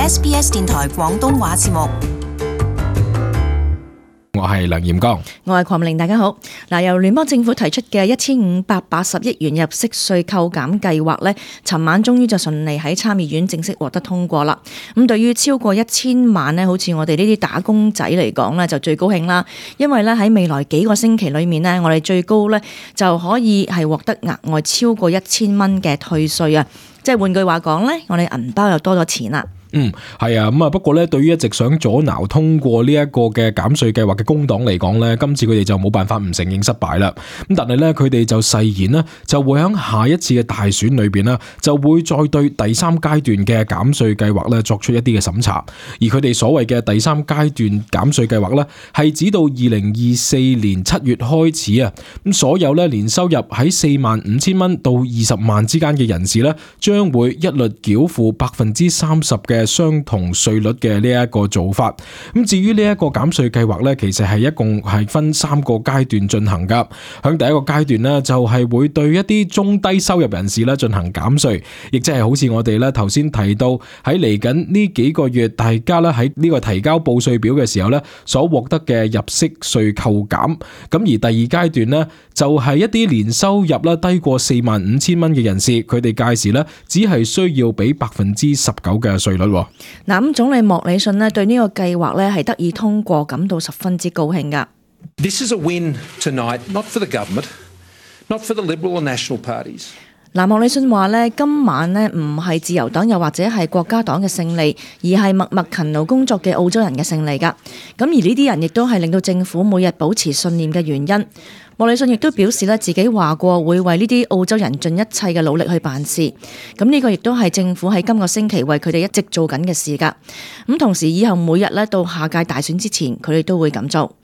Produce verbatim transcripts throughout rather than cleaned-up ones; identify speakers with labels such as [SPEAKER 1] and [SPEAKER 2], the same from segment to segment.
[SPEAKER 1] S B S 電台廣東話節目。
[SPEAKER 2] 我係梁炎剛，
[SPEAKER 3] 我係鄺美玲，大家好。嗱，由聯邦政府提出嘅一千五百八十億元入息稅扣減計劃呢，尋晚終於就順利喺參議院正式獲得通過啦。咁對於超過一千萬呢，好似我哋呢啲打工仔嚟講呢，就最高興啦。因為呢喺未來幾個星期裏面呢，我哋最高呢就可以係獲得額外超過一千蚊嘅退稅啊！即係換句話講呢，我哋銀包又多咗錢啦。
[SPEAKER 2] 嗯，係啊，咁啊，不過咧，對於一直想阻撓通過呢一個嘅減稅計劃嘅工黨嚟講咧，今次佢哋就冇辦法唔承認失敗啦。咁但係咧，佢哋就誓言呢，就會喺下一次嘅大選裏邊呢，就會再對第三階段嘅減稅計劃咧作出一啲嘅審查。而佢哋所謂嘅第三階段減稅計劃咧，係指到二零二四年七月開始啊，咁所有咧年收入喺四萬五千蚊到二十萬之間嘅人士咧，將會一律繳付百分之三十嘅嘅相同稅率嘅呢一個做法。咁至於呢一個減稅計劃呢，其實係一共係分三個階段進行噶。響第一個階段呢，就係會對一啲中低收入人士咧進行減稅，亦即係好似我哋咧頭先提到喺嚟緊呢幾個月，大家咧喺呢個提交報稅表嘅時候咧所獲得嘅入息稅扣減。咁而第二階段呢，就係一啲年收入咧低過四萬五千蚊嘅人士，佢哋屆時咧只係需要俾百分之十九嘅稅率。嗱，
[SPEAKER 3] 咁總理莫里遜咧對呢個計劃咧係得以通過，感到十分之高興噶。
[SPEAKER 4] This is a win tonight, not for the government, not for the Liberal or National parties.
[SPEAKER 3] 嗱，莫里遜話咧，今晚咧唔係自由黨又或者係國家黨嘅勝利，而係默默勤勞工作嘅澳洲人嘅勝利噶。咁而呢啲人亦都係令到政府每日保持信念嘅原因。莫里遜亦都表示咧，自己話過會為呢啲澳洲人盡一切嘅努力去辦事。咁呢個亦都係政府喺今個星期為佢哋一直做緊嘅事噶。咁同時以後每日咧到下屆大選之前，佢哋都會咁做。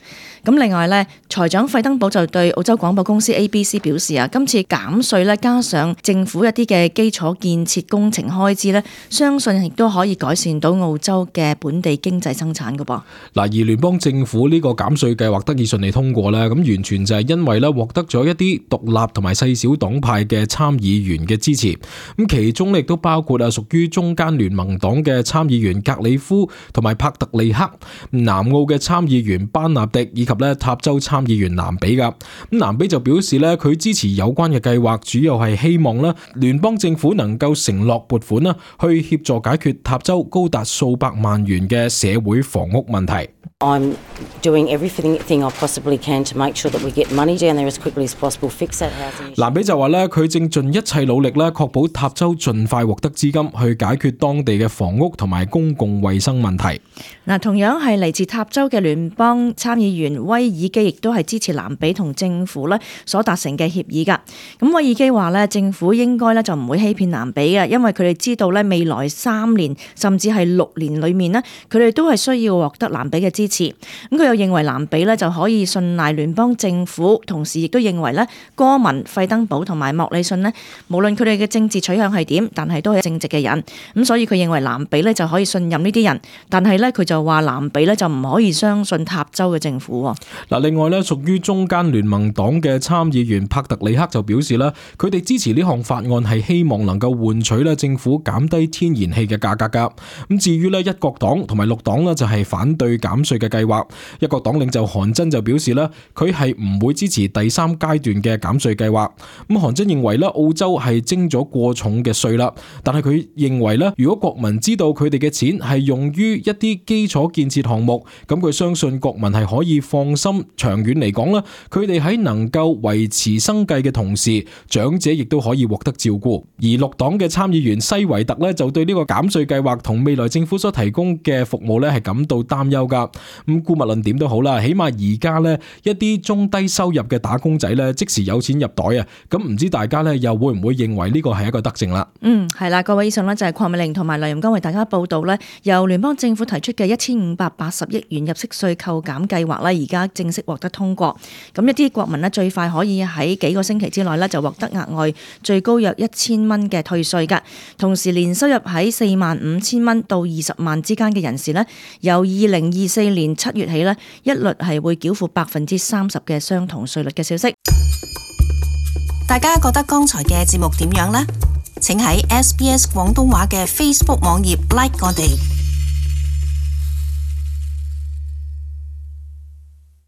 [SPEAKER 3] 咁另外咧，財長費登堡就對澳洲廣播公司 A B C 表示啊，今次減稅咧加上政府一啲嘅基礎建設工程開支咧，相信亦都可以改善到澳洲嘅本地經濟生產噶噃。
[SPEAKER 2] 嗱，而聯邦政府呢個減稅計劃得以順利通過咧，咁完全就係因為咧獲得咗一啲獨立同埋細小黨派嘅參議員嘅支持。咁其中亦都包括啊屬於中間聯盟黨嘅參議員格里夫同埋帕特利克，南澳嘅參議員班納迪以及咧塔州參議員南比噶。咁南比就表示咧，佢支持有關嘅計劃，主要係希望咧聯邦政府能夠承諾撥款啦，去協助解決塔州高達數百萬元嘅社會房屋問題。
[SPEAKER 5] I'm doing everything I possibly can to make sure that we get money down there as quickly as possible, fix that housing issue.
[SPEAKER 2] 南比就話咧，佢正盡一切努力咧，確保塔州盡快獲得資金去解決當地嘅房屋同埋公共衛生問題。
[SPEAKER 3] 嗱，同樣係嚟自塔州嘅聯邦參議員威爾基，亦都係支持南比同政府咧所達成嘅協議噶。咁威爾基話咧，政府應該咧就唔會欺騙南比嘅，因為佢哋知道咧未來三年甚至係六年裏面呢，佢哋都係需要獲得南比嘅支持。咁佢又認為南比咧就可以信賴聯邦政府，同時亦都認為咧哥文、費登堡同埋莫里遜呢，無論佢哋嘅政治取向係點，但係都係正直嘅人。咁所以佢認為南比咧就可以信任呢啲人，但係咧佢就話南比咧就唔可以相信塔州嘅政府。
[SPEAKER 2] 嗱，另外咧屬於中間聯盟黨嘅參議員帕特里克就表示啦，佢哋支持呢項法案係希望能夠換取咧政府減低天然氣嘅價格噶。咁至於咧一國黨同埋綠黨呢，就係反對減稅嘅計劃。一國黨領袖韓真就表示咧，佢係唔會支持第三階段嘅減稅計劃。咁韓真認為咧，澳洲係徵咗過重嘅稅啦，但係佢認為咧，如果國民知道佢哋嘅錢係用於一啲基礎建設項目，咁佢相信國民係可以放心。長遠嚟講咧，佢哋喺能夠維持生計嘅同時，長者亦都可以獲得照顧。而綠黨嘅參議員西維特咧，就對呢個減稅計劃同未來政府所提供嘅服務咧係感到擔憂噶。咁姑勿論點都好啦，起碼而家咧一啲中低收入嘅打工仔咧，即時有錢入袋啊！咁唔知大家咧又會唔會認為呢個係一個德政啦？
[SPEAKER 3] 嗯，係啦，各位以上呢就係鄺美玲同埋梁炎剛為大家報道咧，由聯邦政府提出嘅一千五百八十億元入息稅扣減計劃咧，而家正式獲得通過。咁一啲國民呢，最快可以喺幾個星期之內呢，就獲得額外最高約一千蚊嘅退稅噶。同時年收入喺四萬五千蚊到二十萬之間嘅人士呢，由二零二四年七月起呢，一律係會繳付百分之三十嘅相同稅率嘅消息。
[SPEAKER 1] 大家覺得剛才嘅節目點樣呢？請喺 S B S 廣東話嘅 Facebook 網頁 like 我哋。